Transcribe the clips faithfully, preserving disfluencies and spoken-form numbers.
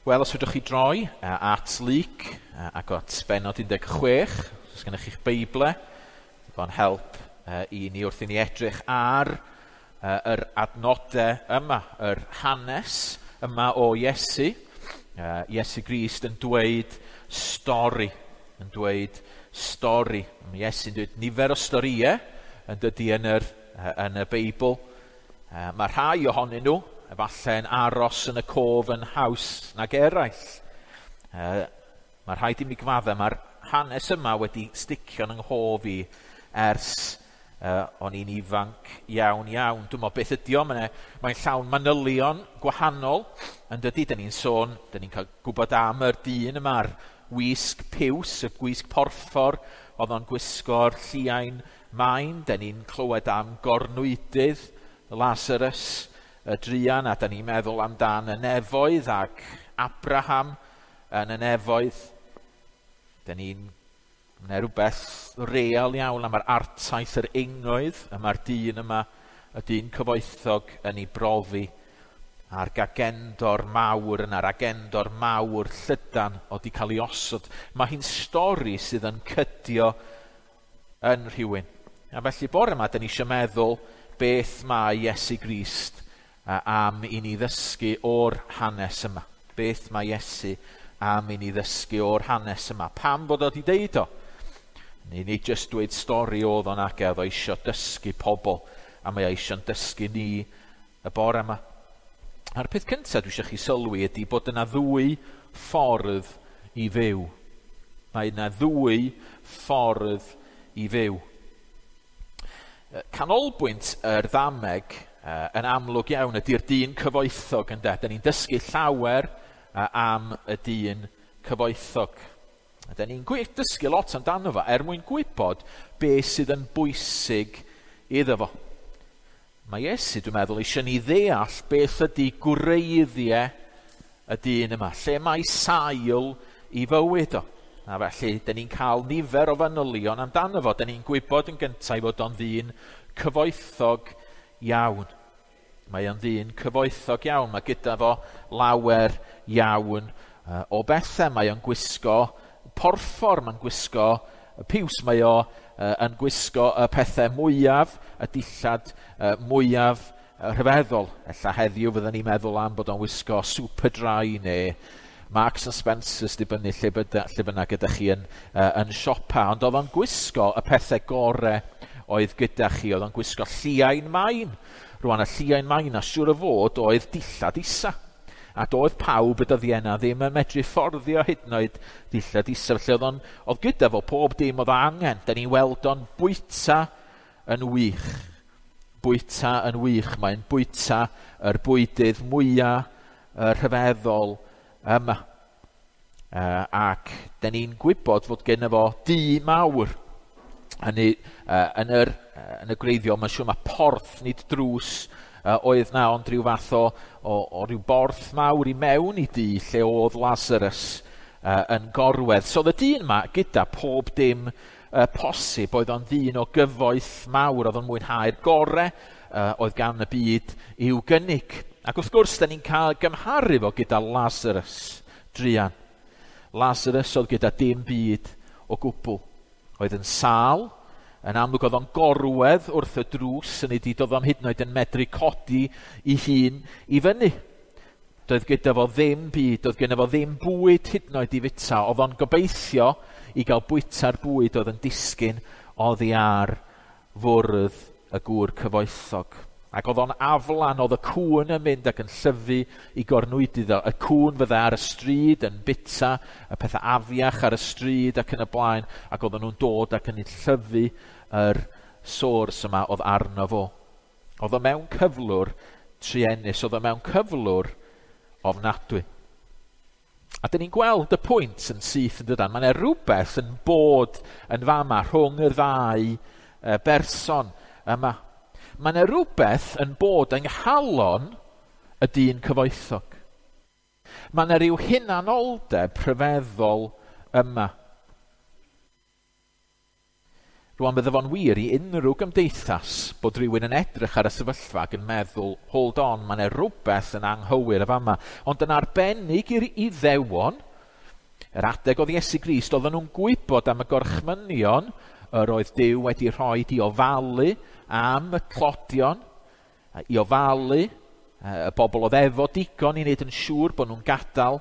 Wel, os fedrwch chi droi at Luc ac at bennod un deg chwech, os gennych chi'ch Beible, digon help i ni wrth i ni edrych ar yr adnodau yma, yr hanes yma o Iesu. Iesu Grist yn dweud stori, yn dweud stori. Mae Iesu'n dweud nifer o storïau yn dydy yn yr, yn y Beibl. Mae rhai ohonyn nhw efallai'n aros yn y cof yn haws nag eraill. Mae rhaid i mi gyfadde, mae'r hanes yma wedi sticio yn nghof i ers uh, o'n i'n ifanc iawn iawn. Dwi'n meddwl beth ydi o, mae'n mae llawn manylion gwahanol yn dydy. Dyn ni'n sôn, dyn ni'n cael gwybod am yr dyn yma'r wisg piws, y gwisg porffor, oedd o'n gwisgo'r lliain main. Dyn ni'n clywed am gornwydydd Lazarus, y druan, a dyn ni'n meddwl amdan y nefoedd ac Abraham yn y nefoedd. Dyn ni'n Mae rhywbeth real iawn am yr artaith yr ingoedd, y mae'r dyn yma, y dyn cyfoethog yn ei brofi, a'r gagendor mawr yna'r agendor mawr llydan oedd wedi cael ei osod. Mae hi'n stori sydd yn cydio yn rhywun. A felly bore yma, dyn ni eisiau meddwl beth mae Iesu Grist am i ni ddysgu o'r hanes yma. Beth mae Iesu am i ni ddysgu o'r hanes yma. Pam bod o wedi deud o? Ni nid jyst dweud stori oedd o'n ag oedd o eisiau dysgu pobl, a mae o eisiau'n dysgu ni y bore yma. A'r peth cyntaf dwi eisiau chi sylwi ydy bod yna ddwy ffordd i fyw. Mae yna ddwy ffordd i fyw. Canolbwynt yr ddameg yn amlwg iawn ydy'r dyn cyfoethog ynde. Da ni'n dysgu llawer am y dyn cyfoethog. Da ni'n dysgu lot amdano fo er mwyn gwybod beth sydd yn bwysig iddo fo. Mae Iesu, dwi'n meddwl, eisiau ni ddeall beth ydy gwreiddiau y dyn yma, lle mae sail i fywyd o. A felly, da ni'n cael nifer o fanylion amdano fo. Da ni'n gwybod yn gyntaf fod o'n ddyn cyfoethog iawn. Mae o'n ddyn cyfoethog iawn. Mae gyda fo lawer iawn o bethau. Mae o'n gwisgo porffor, mae'n gwisgo piws, mae o yn gwisgo y pethau mwyaf, y dillad mwyaf rhyfeddol. Ella heddiw fydden ni'n meddwl am bod o'n wisgo Superdry neu Marks and Spencer's, dibynnu lle, byda, lle bynnag ydych chi yn, uh, yn siopa. Ond oedd o'n gwisgo y pethau gore oedd gyda chi. Oedd o'n gwisgo lliain main. Rwan, y lliain main, a siŵr o fod oedd dillad isa. A doedd pawb y dyddiau yna ddim yn medru fforddio hyd yn oed dillad isa. Felly oedd, on, oedd gyda fo pob dim oedd angen. Da ni'n weld o'n bwyta yn wych. Bwyta yn wych. Mae'n bwyta yr bwydydd mwyaf rhyfeddol yma. Uh, ac da ni'n gwybod fod genno fo dŷ mawr. Hynny, uh, yn, yr, uh, yn y gwreiddiol, mae'n siŵr mae porth, nid drws, uh, oedd na, ond rhyw fath o, o, o ryw borth mawr i mewn i dŷ lle oedd Lazarus uh, yn gorwedd. So oedd y dyn yma gyda pob dim uh, posib, oedd o'n ddyn o gyfoeth mawr, oedd o'n mwynhau'r gore uh, oedd gan y byd i'w gynnig. Ac wrth gwrs, da ni'n cael gymharu fo gyda Lazarus druan. Lazarus oedd gyda dim byd o gwbl. Oedd yn sâl, yn amlwg oedd o'n gorwedd wrth y drws, yn ei doedd o'n hyd yn oed yn medru codi ei hun i fyny. Doedd gyda fo ddim byd, doedd gyda fo ddim bwyd hyd yn oed i fita. Oedd o'n gobeithio i gael bwyta'r bwyd oedd yn disgyn oddi ar fwrdd y gŵr cyfoethog. Ac oedd o'n aflan, oedd y cŵn yn mynd ac yn llyfu i gornwydydd o. Y cŵn fydde ar y stryd yn bita, y pethau afiach ar y stryd ac yn y blaen, ac oedden nhw'n dod ac yn llyfu yr sors yma oedd arno fo. Oedd o mewn cyflwr truenus, oedd o mewn cyflwr ofnadwy. A dyn ni'n gweld y pwynt yn syth yn dydan. Mae yna rhywbeth yn bod yn fama rhwng y ddau berson yma. Mae yna rhywbeth yn bod yng nghalon y dyn cyfoethog. Mae yna rhyw hunanoldeb rhyfeddol yma. Rwan bydde fo'n wir i unrhyw gymdeithas bod rhywun yn edrych ar y sefyllfa ac yn meddwl, hold on, mae yna rhywbeth yn anghywir y fama. Ond yn arbennig i'r Iddewon, yr adeg oedd Iesu Grist, oedden nhw'n gwybod am y gorchmynion yr oedd Duw wedi rhoi i ofalu am y tlodion, i ofalu y bobl oedd efo digon i wneud yn siŵr bod nhw'n gadael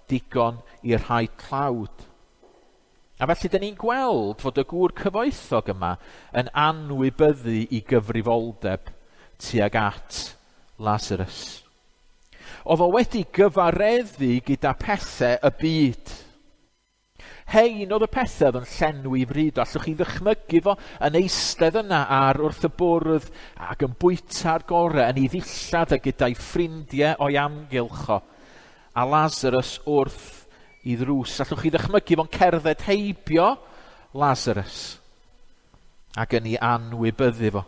digon i'r rhai tlawd. A felly, dyn ni'n gweld fod y gŵr cyfoethog yma yn anwybyddu i gyfrifoldeb tuag at Lazarus. Oedd o wedi gyfareddu gyda pethau y byd. Hein oedd y pethau oedd yn llenwi fryd. Allwch chi ddychmygu fo yn eistedd yna ar wrth y bwrdd ac yn bwyta'r gorau yn ei ddillad a gyda'i ffrindiau o'i amgylch o. A Lazarus wrth i ddrws. Allwch chi ddychmygu fo'n cerdded heibio Lazarus ac yn ei anwybyddu fo.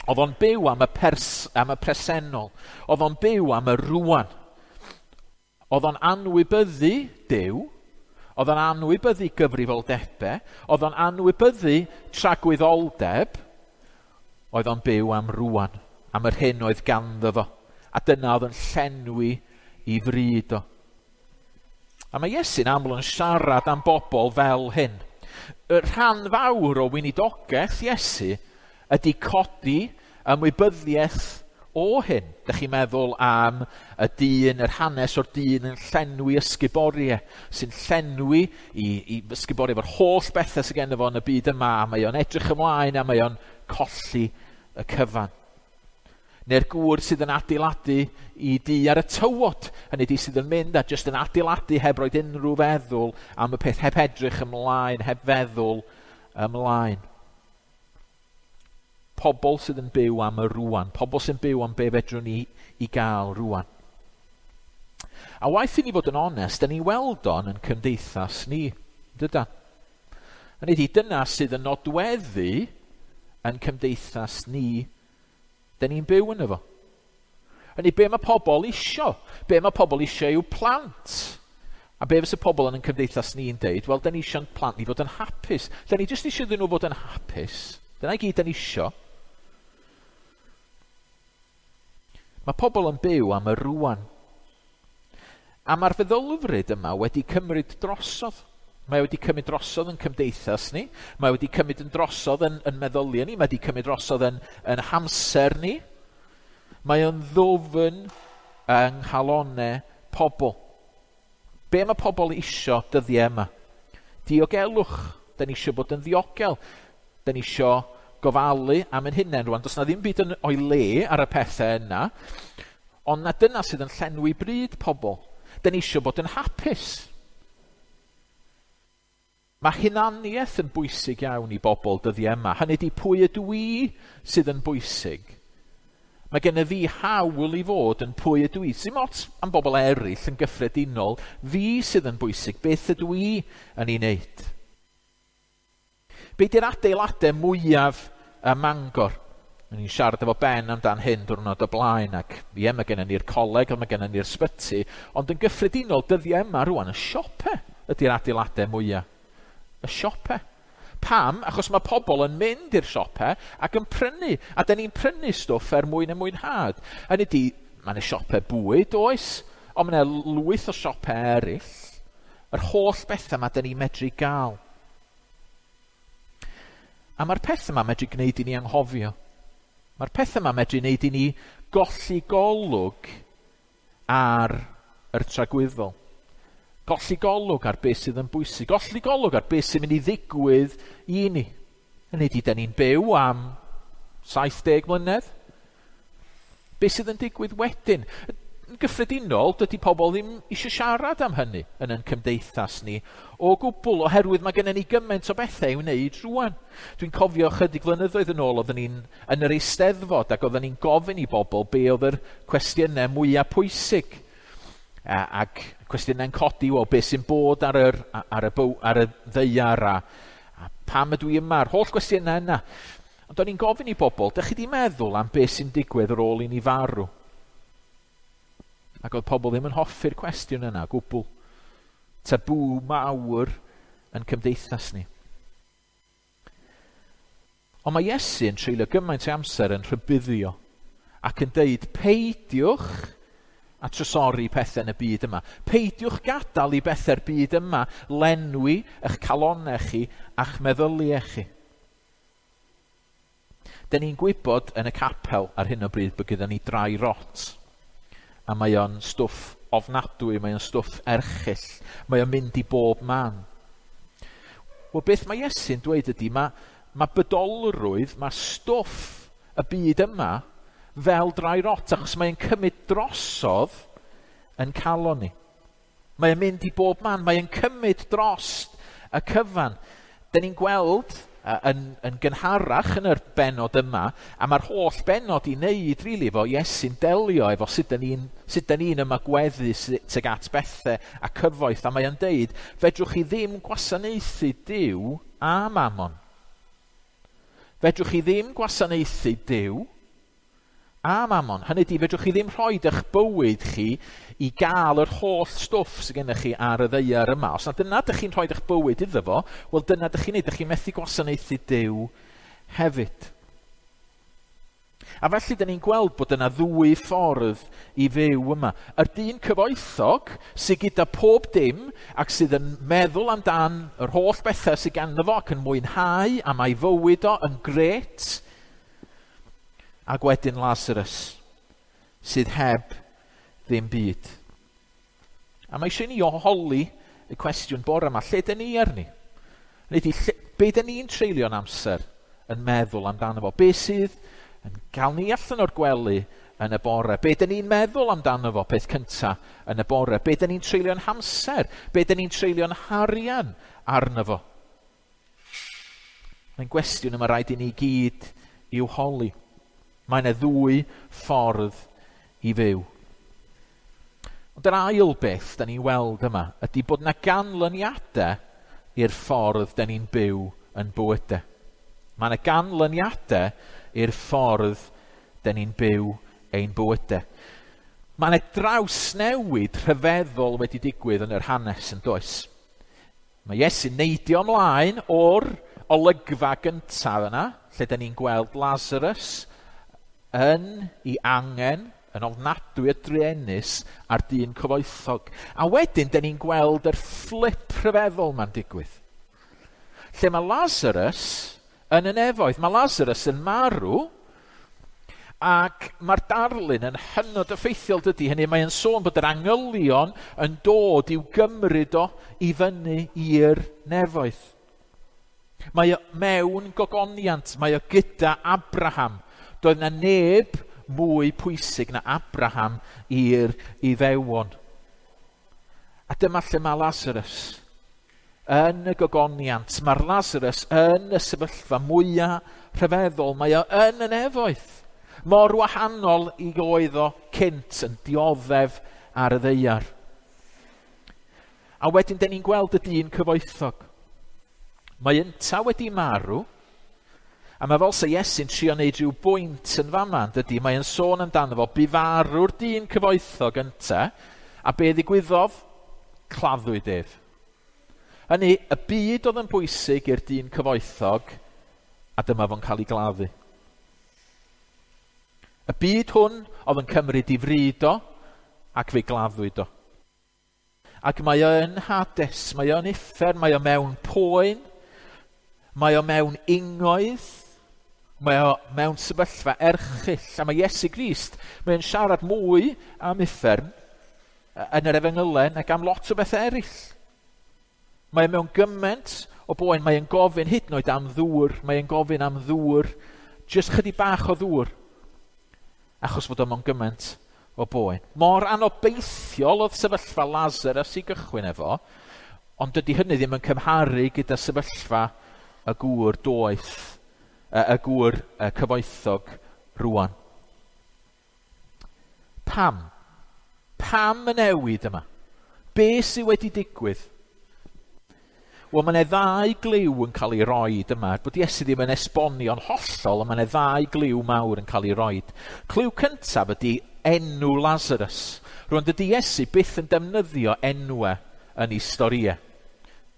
Oedd o'n byw am y, pers, am y presennol. Oedd o'n byw am y rwan. Oedd o'n anwybyddu Duw. Oedd o'n anwybyddu gyfrifoldebau. Oedd o'n anwybyddu tragwyddoldeb. Oedd o'n byw am rwan, am yr hyn oedd ganddo fo. A dyna oedd yn llenwi i fryd o. A mae Iesu'n aml yn siarad am bobl fel hyn. Y rhan fawr o weinidogaeth Iesu ydy codi ymwybyddiaeth o hyn. Dych chi'n meddwl am y dyn, yr hanes o'r dyn yn llenwi ysguboriau, sy'n llenwi i, i ysguboriau efo'r holl bethau sydd genno fo yn y byd yma, a mae o'n edrych ymlaen a mae o'n colli y cyfan. Neu'r gŵr sydd yn adeiladu i dŷ ar y tywod, hynny ydi sydd yn mynd a jyst yn adeiladu heb roed unrhyw feddwl am y peth, heb edrych ymlaen, heb feddwl ymlaen. Pobl sydd yn byw am y rwan, pobl sy'n byw am be fedrwn ni i gael rwan. A waeth i ni fod yn onest, da ni weld o'n yn cymdeithas ni, dydan? Hynny ydi, dyna sydd yn nodweddu yn cymdeithas ni. Da ni'n byw yn efo. Hynny, be mae pobl isio? Be mae pobl isio yw plant. A be fysa pobl yn ein cymdeithas ni'n deud? Wel, da ni isio'n plant ni fod yn hapus. Da ni jyst isio iddyn nhw fod yn hapus. Dyna i gyd da ni isio. Mae pobl yn byw am y rwan. A mae'r feddylfryd yma wedi cymryd drosodd. Mae wedi cymryd drosodd yn cymdeithas ni. Mae wedi cymryd yn drosodd yn, yn meddyliau ni. Mae wedi cymryd drosodd yn, yn hamser ni. Mae o'n ddwfn yng nghalonnau pobl. Be mae pobl isio dyddiau yma? Diogelwch. Da ni isio bod yn ddiogel. Da ni isio gofalu am ein hunain rwan. Does na ddim byd yn o'i le ar y pethau yna. Ond na dyna sydd yn llenwi bryd pobl. Da ni isio bod yn hapus. Mae hunaniaeth yn bwysig iawn i bobl dyddiau yma. Hynny ydi, pwy ydw i sydd yn bwysig. Mae gen i fi hawl i fod yn pwy ydw i. Sim ots am bobl eraill yn gyffredinol. Fi sydd yn bwysig. Beth ydw i yn ei wneud? Be di'r adeiladau mwyaf ym Mangor? O'n i'n siarad efo Ben amdan hyn diwrnod o blaen, ac ie, mae gennym ni'r coleg, ond mae gennym ni'r sbyty, ond yn gyffredinol dyddiau yma rwan, y siope ydy'r adeiladau mwyaf. Y siope. Pam? Achos mae pobl yn mynd i'r siope ac yn prynu, a da ni'n prynu stwff er mwyn y mwynhad. Hynny ydi, mae yna siope bwyd, oes, ond mae yna lwyth o siope eraill. Yr holl bethau yma da ni'n medru gael. A mae'r pethau yma medru gwneud i ni anghofio. Mae'r pethau yma medru gwneud i ni golli golwg ar yr tragwyddol. Golli golwg ar beth sydd yn bwysig. Golli golwg ar beth sy'n mynd i ddigwydd i ni. Hynny ydi, da ni'n byw am saith deg mlynedd. Beth sydd yn digwydd wedyn? Yn gyffredinol, dydy pobl ddim eisiau siarad am hynny yn ein cymdeithas ni o gwbl, oherwydd mae gennym ni gymaint o bethau i'w wneud rwan. Dwi'n cofio chydig flynyddoedd yn ôl, oedden ni'n yn yr Eisteddfod ac oedden ni'n gofyn i bobl be oedd yr cwestiynau mwyaf pwysig. Ac cwestiynau'n codi, o beth sy'n bod ar, yr, ar, y, byw, ar y ddaear a, a pam ydw i yma, yr holl gwestiynau yna. Ond o'n i'n gofyn i bobl, dych chi di meddwl am beth sy'n digwydd ar ôl i ni farw? Ac oedd pobl ddim yn hoffi'r cwestiwn yna, gwbl. Tabŵ mawr yn cymdeithas ni. Ond mae Iesu yn treulio gymaint o amser yn rhybuddio ac yn deud, peidiwch a trysori pethau yn y byd yma. Peidiwch gadael i bethau'r byd yma lenwi eich calonau chi a'ch meddyliau chi. Dyn ni'n gwybod yn y capel ar hyn o bryd bod gyda ni dry rot. A mae o'n stwff ofnadwy, mae o'n stwff erchyll, mae o'n mynd i bob man. Wel, beth mae Iesu'n dweud ydy, mae, mae bydolrwydd, mae stwff y byd yma fel dry rot, achos mae'n cymryd drosodd yn calon ni. Mae'n mynd i bob man, mae'n cymryd dros y cyfan. Dyn ni'n gweld yn, yn gynharach yn yr benod yma, a mae'r holl benod i wneud, rili, efo Iesu'n delio efo sut dyn ni'n sut dyn ni'n ymagweddu tuag at bethau a cyfoeth, a mae'n deud, fedrwch chi ddim gwasanaethu Duw a Mammon. Fedrwch chi ddim gwasanaethu Duw a Mammon. Hynny ydi, fedrwch chi ddim rhoi eich bywyd chi i gael yr holl stwff sydd gennych chi ar y ddaear yma. Os na dyna dych chi'n rhoi eich bywyd iddo fo, wel dyna dych chi'n neud, dych chi'n methu gwasanaethu Duw hefyd. A felly dyn ni'n gweld bod yna ddwy ffordd i fyw yma. Yr dyn cyfoethog sydd gyda pob dim ac sydd yn meddwl amdan yr holl bethau sydd ganddo fo ac yn mwynhau a mae fywyd o yn grêt. Ac wedyn Lazarus sydd heb ddim byd. A mae eisiau ni holi y cwestiwn bore yma, lle dyn ni arni? Hynny ydi, lle, be dyn ni'n treulio'n amser yn meddwl amdano fo? Be sydd yn cael ni allan o'r gwely yn y bore? Be dyn ni'n meddwl amdano fo peth cynta yn y bore? Be dyn ni'n treulio'n hamser? Be dyn ni'n treulio'n harian arno fo? Mae'n gwestiwn yma rhaid i ni gyd i'w holi. Mae yna ddwy ffordd i fyw. Ond yr ail beth da ni'n weld yma ydy bod yna ganlyniadau i'r ffordd da ni'n byw yn bywydau. Mae yna ganlyniadau i'r ffordd da ni'n byw ein bywydau. Mae yna drawsnewid rhyfeddol wedi digwydd yn yr hanes yn does. Mae Iesu'n neidio ymlaen o'r olygfa gyntaf yna, lle da ni'n gweld Lazarus yn ei angen, yn ofnadwy o druenus a'r dyn cyfoethog. A wedyn, da ni'n gweld yr flip rhyfeddol ma'n digwydd. Lle mae Lazarus yn y nefoedd. Mae Lazarus yn marw, ac mae'r darlun yn hynod effeithiol dydy. Hynny, mae'n sôn bod yr angylion yn dod i'w gymryd o i fyny i'r nefoedd. Mae o mewn gogoniant, mae o gyda Abraham. Doedd na neb mwy pwysig na Abraham i'r Iddewon. A dyma lle mae Lazarus yn y gogoniant. Mae'r Lazarus yn y sefyllfa mwyaf rhyfeddol. Mae o yn y nefoedd. Mor wahanol i oedd o cynt yn dioddef ar y ddaear. A wedyn dyn ni'n gweld y dyn cyfoethog. Mae ynta wedi marw, a mae fel sa Iesu'n trio wneud rhyw bwynt yn fama, dydy? Mae'n sôn amdano fo, bu farw'r dyn cyfoethog ynta, a be ddigwyddodd? Claddwyd ef. Hynny, y byd oedd yn bwysig i'r dyn cyfoethog, a dyma fo'n cael ei gladdu. Y byd hwn oedd yn cymryd i fryd o, ac fe gladdwyd o. Ac mae o yn Hades, mae o yn uffern, mae o mewn poen, mae o mewn ingoedd, mae o mewn sefyllfa erchyll. A mae Iesu Grist, mae'n siarad mwy am uffern yn yr efengylau nag am lot o bethau eraill. Mae o mewn gymaint o boen, mae o'n gofyn hyd yn oed am ddŵr, mae o'n gofyn am ddŵr, jyst chydig bach o ddŵr, achos fod o mewn gymaint o boen. Mor anobeithiol oedd sefyllfa Lazarus i gychwyn efo, ond dydy hynny ddim yn cymharu gyda sefyllfa y gŵr doeth, y gŵr cyfoethog rwan. Pam? Pam y newid yma? Be sydd wedi digwydd? Wel, mae yna ddau gliw yn cael ei roed yma. Bod Iesu ddim yn esbonio'n hollol, ond mae yna ddau gliw mawr yn cael ei roed. Cliw cyntaf ydy enw Lazarus. Rwan, dydy Iesu byth yn defnyddio enwau yn ei storïau.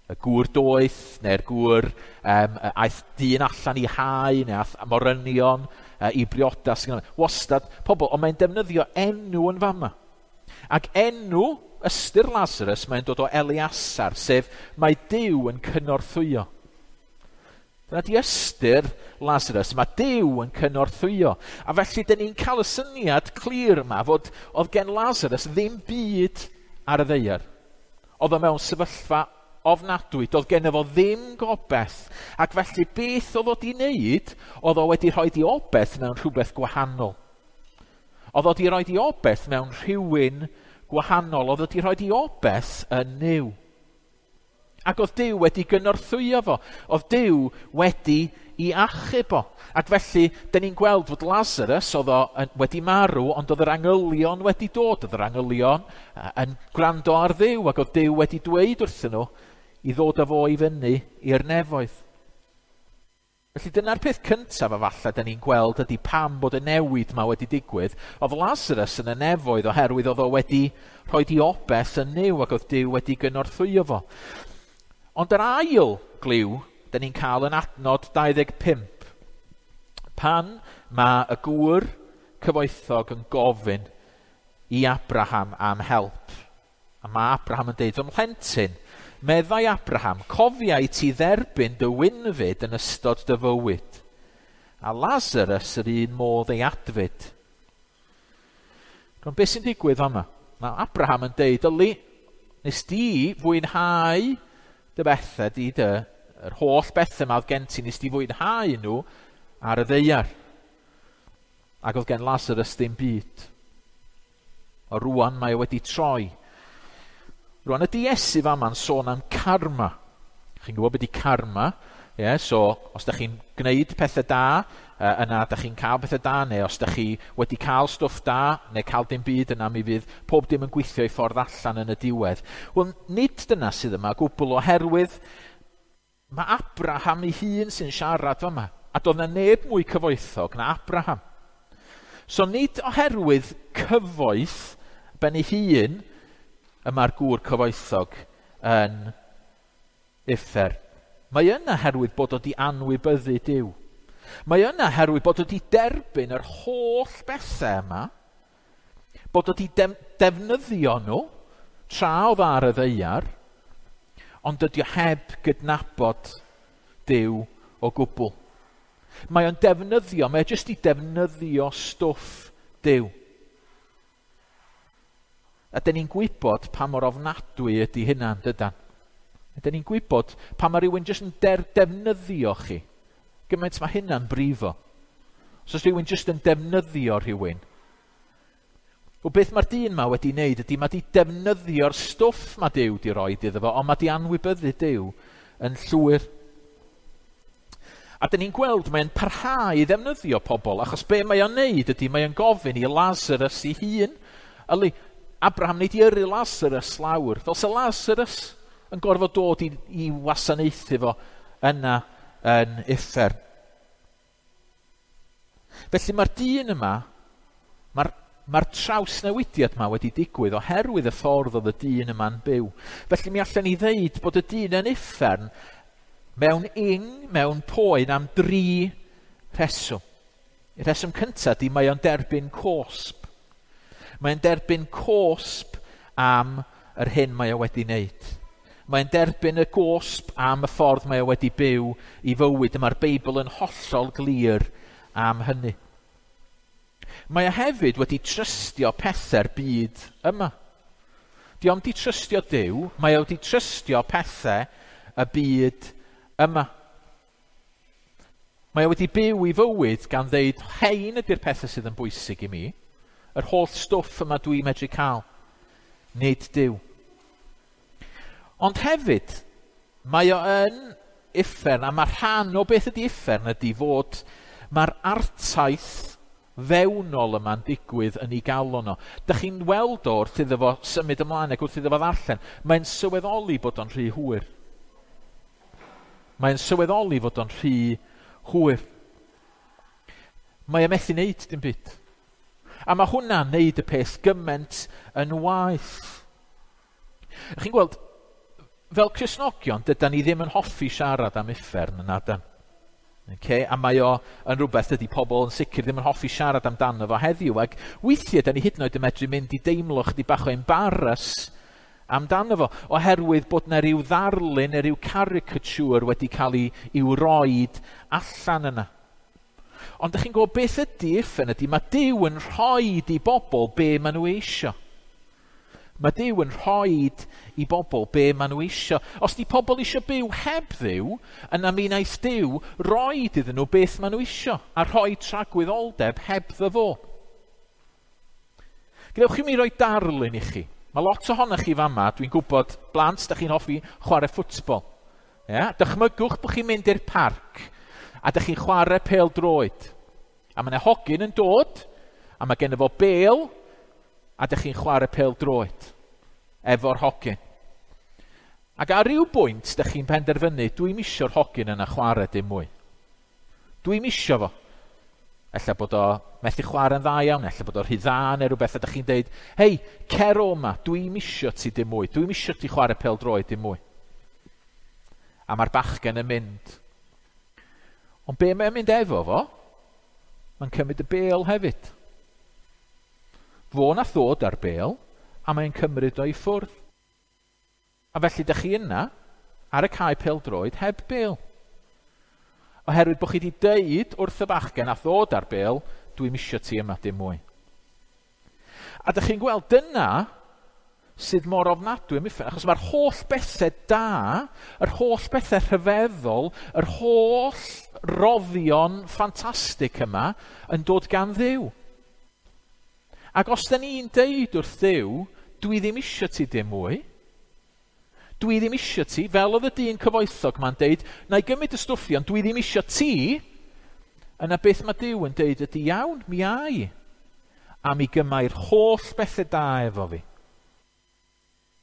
Y gŵr doeth, neu'r gŵr um, aeth dyn allan i hau, neu aeth morynion uh, i briodas. Wastad pobl, ond mae'n defnyddio enw yn fama. Ac enw ystyr Lazarus, mae'n dod o Eliasar, sef mae Duw yn cynorthwyo. Dyna di ystyr Lazarus, mae Duw yn cynorthwyo. A felly, dyn ni'n cael y syniad clir yma fod oedd gen Lazarus ddim byd ar y ddaear. Oedd o mewn sefyllfa ofnadwy, doedd gen fo ddim gobaith. Ac felly beth oedd o di wneud, oedd o wedi rhoi di obaith mewn rhywbeth gwahanol. Oedd o di rhoi di obaith mewn rhywun gwahanol, oedd o di rhoi di obaith yn Nuw. Ac oedd Duw wedi gynorthwyo fo, oedd Duw wedi i achub o. Ac felly, dyn ni'n gweld fod Lazarus oedd o wedi marw, ond oedd yr angylion wedi dod, oedd yr angylion yn gwrando ar Dduw, ac oedd Duw wedi dweud wrthyn nhw i ddod â fo i fyny i'r nefoedd. Felly dyna'r peth cyntaf a falle dyn ni'n gweld ydy pam bod y newid yma wedi digwydd. Oedd Lazarus yn y nefoedd oherwydd oedd o wedi rhoi di obaith yn Nuw ac oedd Duw wedi gynorthwyo fo. Ond yr ail gliw dyn ni'n cael yn adnod dau ddeg pump. Pan mae y gŵr cyfoethog yn gofyn i Abraham am help. A mae Abraham yn deud, fy mhlentyn, meddai Abraham, cofia i ti dderbyn dy wynfyd yn ystod dy fywyd. A Lazarus yr un modd ei adfyd. Rwan, beth sy'n digwydd fama? Mae Abraham yn deud, yli, nes di fwynhau dy bethau di dy, yr holl bethau yma oedd gen ti, nes di fwynhau nhw ar y ddaear. Ac oedd gen Lazarus ddim byd. O rwan mae o wedi troi. Rwan ydy Iesu fama'n sôn am karma. Chi'n gwybod beth ydy karma? Yeah, so, os da chi'n gwneud pethau da, yna da chi'n cael pethau da, neu os da chi wedi cael stwff da, neu cael dim byd, yna mi fydd pob dim yn gweithio i ffordd allan yn y diwedd. Wel, nid dyna sydd yma gwbl, oherwydd mae Abraham ei hun sy'n siarad fama, a doedd na neb mwy cyfoethog na Abraham. So nid oherwydd cyfoeth ben ei hun y mae'r gŵr cyfoethog yn uffern. Mae yna herwydd bod o di anwybyddu Duw. Mae yna herwydd bod o di derbyn yr holl bethau yma, bod o di defnyddio nhw tra oedd ar y ddaear, ond dydy o heb gydnabod Duw o gwbl. Mae o'n defnyddio, mae o jyst i defnyddio stwff Duw. A dyn ni'n gwybod pa mor ofnadwy ydy hynna, dydan? A dyn ni'n gwybod pa mae rhywun jyst yn der defnyddio chi. Gymaint mae hynna'n brifo. Os oes rhywun jyst yn defnyddio rhywun. O beth mae'r dyn ma wedi wneud ydy mae di defnyddio'r stwff mae Duw di roed iddo fo, ond mae di anwybyddu Duw yn llwyr. A dyn ni'n gweld mae'n parhau i ddefnyddio pobl, achos be mae o'n neud ydy mae o'n gofyn i Lazarus ei hun. Yli, Abraham wneud i yrru Lazarus lawr, fel se Lazarus yn gorfod dod i, i wasanaethu fo yna yn uffern. Felly mae'r dyn yma, mae'r mae'r trawsnewidiad yma wedi digwydd oherwydd y ffordd oedd y dyn yma'n byw. Felly mi allan ni ddeud bod y dyn yn uffern mewn ing, mewn poen am dri rheswm. Y rheswm cyntaf di mae o'n derbyn cosb. Mae'n derbyn cosb am yr hyn mae o wedi wneud. Mae'n derbyn y gosb am y ffordd mae o wedi byw i fywyd. Mae'r Beibl yn hollol glir am hynny. Mae o hefyd wedi trystio pethau'r byd yma. Di o'm di trystio Duw, mae o wedi trystio pethau y byd yma. Mae o wedi byw i fywyd gan ddeud, hein ydy'r pethau sydd yn bwysig i mi, yr holl stwff yma dwi'n medru cael, nid Duw. Ond hefyd, mae o yn uffern, a mae rhan o beth ydy uffern ydy fod mae'r artaith fewnol yma'n digwydd yn ei galon o. Dych chi'n weld o wrth iddo fo symud ymlaen ac wrth iddo fo ddarllen, mae'n sylweddoli bod o'n rhy hwyr. Mae'n sylweddoli fod o'n rhy hwyr. Mae o methu wneud dim byd. A mae hwnna'n neud y peth gymaint yn waeth. Chi'n gweld, Fel Cristnogion, dydan ni ddim yn hoffi siarad am uffern yn adan. Okay? A mae o yn rhywbeth dydy pobl yn sicr ddim yn hoffi siarad amdano fo heddiw. Ac weithiau, da ni hyd yn oed yn medru mynd i deimlo chydig bach o embarrass amdano fo, oherwydd bod na ryw ddarlun neu ryw caricature wedi cael ei i'w roid allan yna. Ond ydych chi'n gwybod beth ydy uffern ydy, mae Duw yn rhoid i bobl be maen nhw eisio. Mae Duw yn rhoid i bobl be maen nhw eisio. Os di pobl eisio byw heb Dduw, yna mi wnaeth Duw roid iddyn nhw beth maen nhw eisio, a rhoi tragwyddoldeb heb fo. Gadewch i mi roi darlun i chi. Mae lot ohonoch chi fama, dwi'n gwybod, blant, da chi'n hoffi chwarae ffwtbol. Yeah? Dychmygwch bod chi'n mynd i'r parc, a da chi'n chwarae pêl droed. A mae yna hogyn yn dod, a mae genno fo bêl, a da chi'n chwarae pêl droed efo'r hogyn. Ac ar ryw bwynt, da chi'n penderfynu, dwi'n isio'r hogyn yna chwarae dim mwy. Dwi'n isio fo. Ella bod o methu chwarae'n dda iawn, ella bod o rhy dda neu rhywbeth, a da chi'n deud, hei, cer o ma, dwi'n isio ti dim mwy, dwi'n isio ti chwarae pêl droed dim mwy. A mae'r bachgen yn mynd. Ond be mae'n mynd efo fo? Mae'n cymryd y bêl hefyd. Fo nath ddod ar bêl, a mae'n cymryd o i ffwrdd. A felly dych chi yna, ar y cae pêl-droed, heb bêl. Oherwydd bod chi wedi deud wrth y bachgen a ddod ar bêl, dwi'n isio ti yma dim mwy. A dych chi'n gweld, dyna sydd mor ofnadwy am uffern, achos mae'r holl bethau da, yr holl bethau rhyfeddol, yr holl roddion ffantastig yma yn dod gan Dduw. Ac os da ni'n deud wrth Dduw, dwi ddim isio ti dim mwy, dwi ddim isio ti, fel oedd y dyn cyfoethog ma'n deud, na i gymryd y stwff i, ond dwi ddim isio ti, yna beth mae Duw yn deud ydy iawn, mi ai, a mi gymai'r holl bethau da efo fi,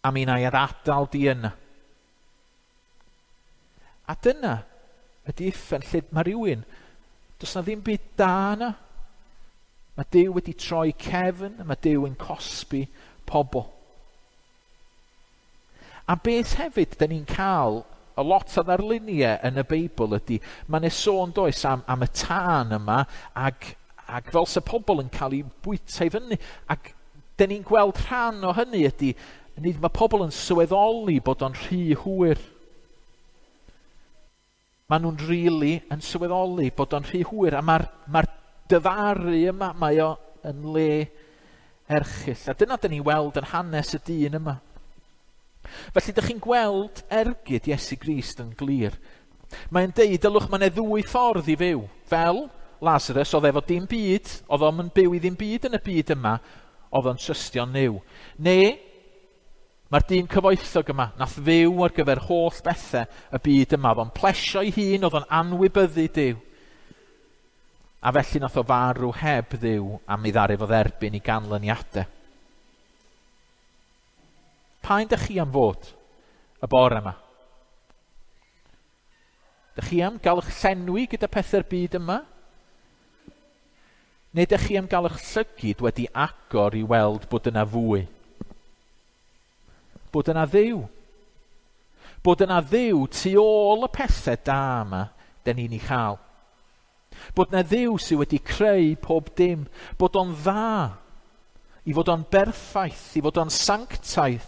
a mi na i adael di yna. A dyna ydy uffern lle mae rhywun, does na ddim byd da yna. Mae Duw wedi troi cefn, a mae Duw yn cosbi pobl. A beth hefyd da ni'n cael a lot o ddarluniau yn y Beibl ydy, mae'n sôn does am, am y tân yma, ag, ag fel se pobl yn cael ei bwyta i fyny, ac da ni'n gweld rhan o hynny ydy, nid mae pobl yn sylweddoli bod o'n rhy hwyr. Maen nhw'n rili yn sylweddoli bod o'n rhy hwyr, a mae'r mae dyfaru yma, mae o yn le erchyll. A dyna dyn ni weld yn hanes y dyn yma. Felly, dych chi'n gweld ergyd Iesu Grist yn glir. Mae'n deud, dylwch, mae yna ddwy ffordd i fyw. Fel Lazarus, oedd efo dim byd, oedd o'n byw i ddim byd yn y byd yma, oedd o'n trystio Nuw. Neu, mae'r dyn cyfoethog yma, nath fyw ar gyfer holl bethau y byd yma. Oedd o'n plesio ei hun, oedd o'n anwybyddu Duw. A felly nath o farw heb Dduw a mi ddaru fo dderbyn i ganlyniadau. Pa un dych chi am fod y bore yma? Dych chi am gael eich llenwi gyda pethau'r byd yma? Neu dych chi am gael eich llygid wedi agor i weld bod yna fwy? Bod yna Dduw. Bod yna Dduw tu ôl y pethau da yma dyn ni'n ei chael. Bod yna Dduw sydd wedi creu pob dim. Bod o'n dda. I fod o'n berffaith. I fod o'n sanctaidd.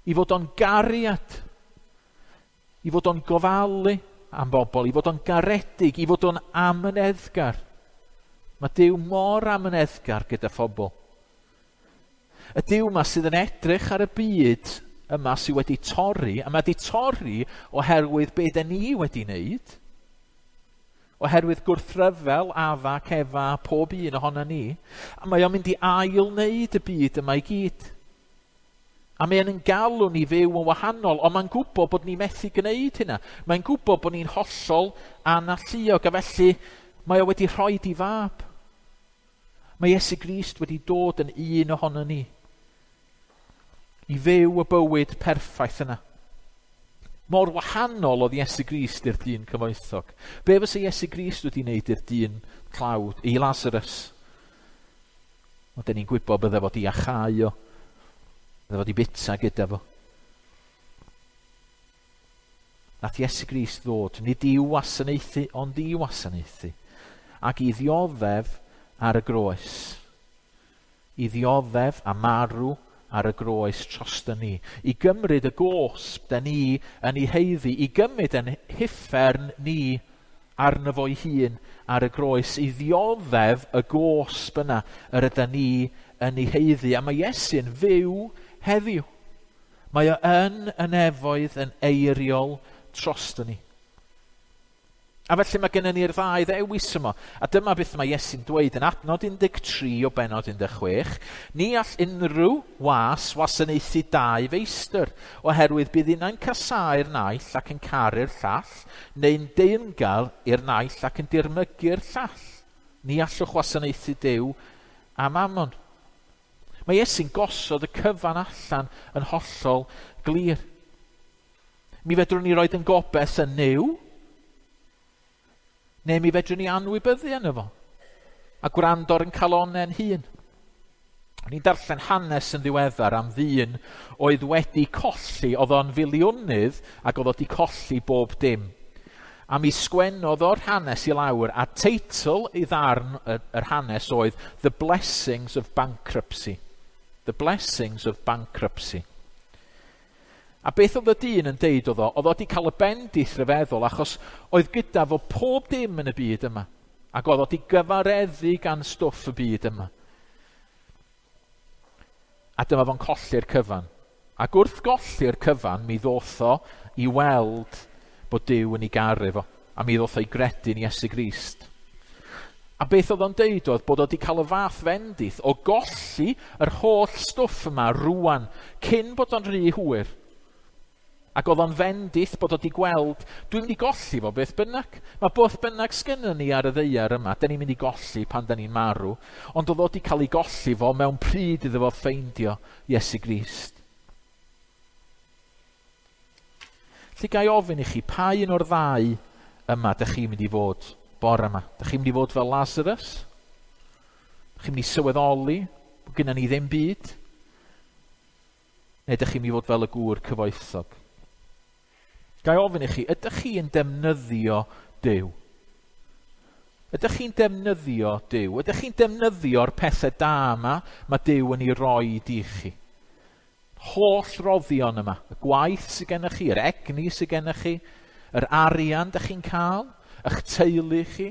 I fod o'n gariad. I fod o'n gofalu am bobl. I fod o'n garedig. I fod o'n amyneddgar. Mae Duw mor amyneddgar gyda phobl. Y Duw yma sydd yn edrych ar y byd yma sydd wedi torri, a mae wedi torri oherwydd be da ni wedi wneud, oherwydd gwrthryfel, Afa, Cefa, pob un ohono ni, a mae o'n mynd i ail-wneud y byd yma i gyd. A mae o'n galw ni fyw yn wahanol, ond mae'n gwybod bod ni methu gwneud hynna. Mae'n gwybod bod ni'n hollol analluog, a felly mae o wedi rhoi di fab. Mae Iesu Grist wedi dod yn un ohono ni i fyw y bywyd perffaith yna. Mor wahanol oedd Iesu Grist i'r dyn cyfoethog. Be fysa Iesu Grist wedi wneud i'r dyn tlawd, i Lazarus? Ond dyn ni'n gwybod bydde fod i achau o, bydde fod i bita gyda fo. Nath Iesu Grist ddod, nid i'w wasanaethu, ond i wasanaethu, ac i ddioddef ar y groes. I ddioddef a marw ar y groes drosto ni. I gymryd y gosb da ni yn ei haeddu, i gymryd yn huffern ni arno fo'i hun ar y groes, i ddioddef y gosb yna yr yda ni yn ei haeddu. A mae Iesu'n fyw heddiw. Mae o yn y nefoedd yn eiriol drosto ni. A felly mae gennym ni'r ddau ddewis yma. A dyma beth mae Iesu'n dweud yn adnod un deg tri o benod un deg chwech. Ni all unrhyw was wasanaethu dau feistr, oherwydd bydd unai'n casáu'r naill ac yn caru'r llall, neu'n deyrngar i'r naill ac yn dirmygu'r llall. Ni allwch wasanaethu Duw a Mammon. Mae Iesu'n gosod y cyfan allan yn hollol glir. Mi fedrwn ni roed yn gobeith yn Nuw, neu mi fedrwn ni anwybyddu yno fo, a gwrando ar yn calonnau'n hun. O'n i'n darllen hanes yn ddiweddar am ddyn oedd wedi colli, oedd o'n filiwnydd ac oedd o wedi colli bob dim. A mi sgwennodd o'r hanes i lawr, a teitl i ddarn yr hanes oedd The Blessings of Bankruptcy. The Blessings of Bankruptcy. A beth oedd y dyn yn deud oedd o? Oedd o wedi cael y bendith rhyfeddol achos oedd gyda fo pob dim yn y byd yma. Ac oedd o wedi gyfareddu gan stwff y byd yma. A dyma fo'n colli'r cyfan. Ac wrth golli'r cyfan, mi ddoth o i weld bod Duw yn ei garu fo. A mi ddoth o i gredu yn Iesu Grist. A beth oedd o'n deud oedd bod o wedi cael y fath fendith o golli yr holl stwff yma rwan, cyn bod o'n rhy hwyr. Ac oedd o'n fendith bod o wedi gweld, dwi'n mynd i golli fo beth bynnag. Mae beth bynnag sgynnon ni ar y ddaear yma, da ni'n mynd i golli pan da ni'n marw. Ond oedd o wedi cael ei golli fo mewn pryd iddo fo ffeindio Iesu Grist. Felly ga i ofyn i chi, pa un o'r ddau yma dych chi'n mynd i fod bore yma? Dych chi'n mynd i fod fel Lazarus? Dych chi'n mynd i sylweddoli bod gynnon ni ddim byd? Neu dych chi'n mynd i fod fel y gŵr cyfoethog? Ga i ofyn i chi, ydych chi'n defnyddio Duw? Ydych chi'n defnyddio Duw? Ydych chi'n defnyddio'r pethau da yma mae Duw yn ei roi i chi? Holl roddion yma, y gwaith sydd gennych chi, yr egni sydd gennych chi, yr arian dych chi'n cael, eich teulu chi,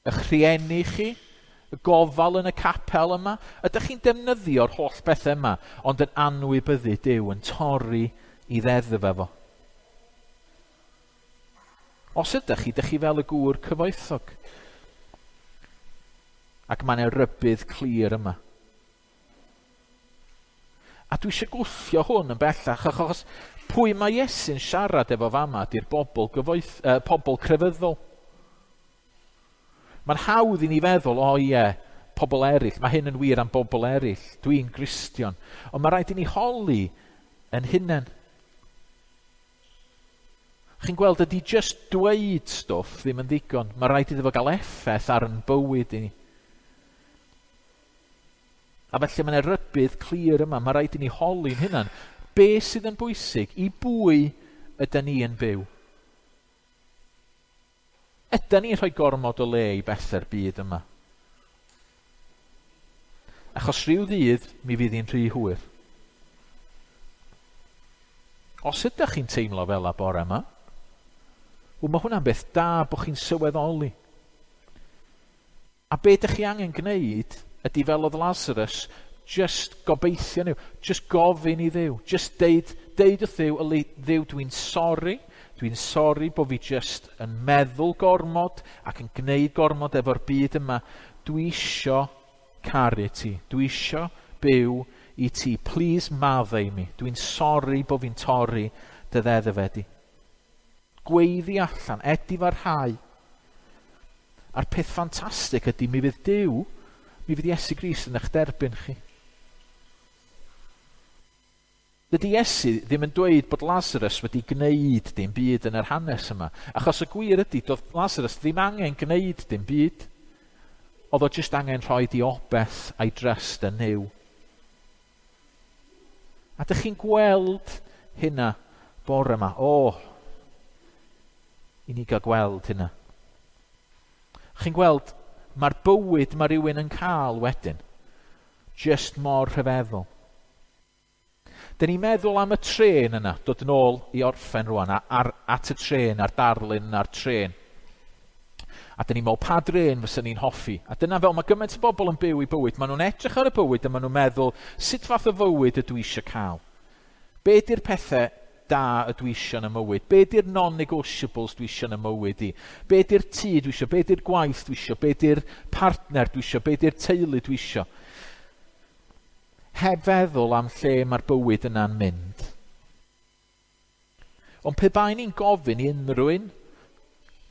eich rhieni chi, y gofal yn y capel yma. Ydych chi'n defnyddio'r holl bethau yma, ond yn anwybyddu Duw, yn torri i ddeddf efo. Os ydych chi, ydych chi fel y gŵr cyfoethog. Ac mae yna rybudd clir yma. A dwi eisiau gwthio hwn yn bellach, achos pwy mae Iesu'n siarad efo fama ydy'r bobl, gyfoeth, eh, pobl crefyddol. Mae'n hawdd i ni feddwl, o ie, pobl eraill, mae hyn yn wir am bobl eraill, dwi'n Gristion. Ond mae rhaid i ni holi yn hunain. Chi'n gweld, ydy just dweud stwff ddim yn ddigon. Mae rhaid iddo fo gael effaith ar yn bywyd i ni. A felly mae yna rybudd clir yma. Mae rhaid i ni holi'n hunan. Be sydd yn bwysig? I bwy ydy ni yn byw? Ydy ni'n rhoi gormod o le i bethau'r byd yma? Achos rhyw ddydd, mi fydd hi'n rhy hwyr. Os ydych chi'n teimlo fel a bore yma, wel, mae hwnna'n beth da bod chi'n sylweddoli. A be ydych chi angen gwneud ydy fel oedd Lazarus, just gobeithio nhw, just gofyn i Dduw, just deud, deud wrth Dduw, yli, Dduw, dwi'n sori, dwi'n sori bod fi just yn meddwl gormod ac yn gwneud gormod efo'r byd yma. Dwi isio caru ti, dwi isio byw i ti, please maddau i mi, dwi'n sori bod fi'n torri dy ddeddf di. Gweiddi allan, edifarhau. A'r peth ffantastig ydy mi fydd Duw, mi fydd Iesu Grist yn eich derbyn chi. Dydy Iesu ddim yn dweud bod Lazarus wedi gwneud dim byd yn yr hanes yma, achos y gwir ydy, doedd Lazarus ddim angen gwneud dim byd. Oedd o jyst angen rhoi di obeth a'i drest yn Nuw. A dych chi'n gweld hynna Bore yma, o, i ni gael gweld hynna. Chi'n gweld, mae'r bywyd mae rhywun yn cael wedyn, just mor rhyfeddol. Dyn ni'n meddwl am y trên yna, dod yn ôl i orffen rwan, ar, at y trên, a'r darlun a'r trên. A dyn ni'n meddwl, pa drên fysa ni'n hoffi? A dyna fel mae gymaint o bobl yn byw i bywyd. Maen nhw'n edrych ar y bywyd a maen nhw'n meddwl, sut fath o fywyd ydw i eisiau cael? Be di'r pethau da ydw i eisiau yn y mywyd? Be di'r non-negotiables dwi eisiau yn y mywyd i? Be di'r tŷ dwi eisiau? Be di'r gwaith dwi eisiau? Be di'r partner dwi eisiau? Be di'r teulu dwi eisiau? Heb feddwl am lle mae'r bywyd yna'n mynd. Ond pe bai ni'n gofyn i unrhyw un,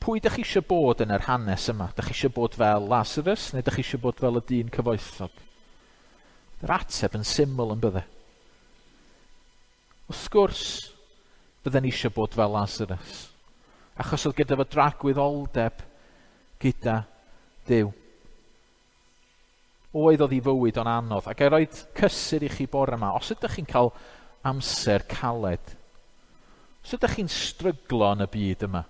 pwy dych chi eisiau bod yn yr hanes yma? Dych chi eisiau bod fel Lazarus neu dych chi eisiau bod fel y dyn cyfoethog? Yr ateb yn syml yn bydde. Wrth gwrs, bydden ni eisiau bod fel Lazarus. Achos oedd gyda fo dragwyddoldeb gyda Duw. Oedd oedd ei fywyd o'n anodd. Ac i roed cysur i chi bore yma, os ydych chi'n cael amser caled, os ydych chi'n stryglo yn y byd yma,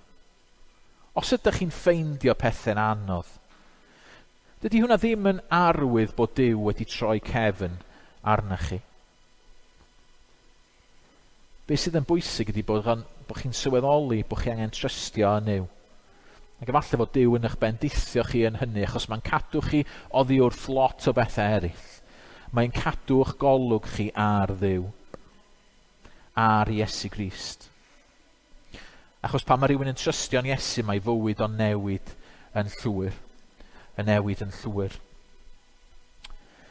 os ydych chi'n ffeindio pethau'n anodd, dydy hwnna ddim yn arwydd bod Duw wedi troi cefn arnych chi. Be sydd yn bwysig ydy bod, bod chi'n sylweddoli bod chi angen trystio yn Nuw. Ac efallai fod Duw yn eich bendithio chi yn hynny, achos mae'n cadw chi oddi wrth lot o bethau eraill. Mae'n cadw eich golwg chi ar Dduw, ar Iesu Grist. Achos pan mae rhywun yn trystio'n Iesu, mae fywyd o'n newid yn llwyr. Yn newid yn llwyr.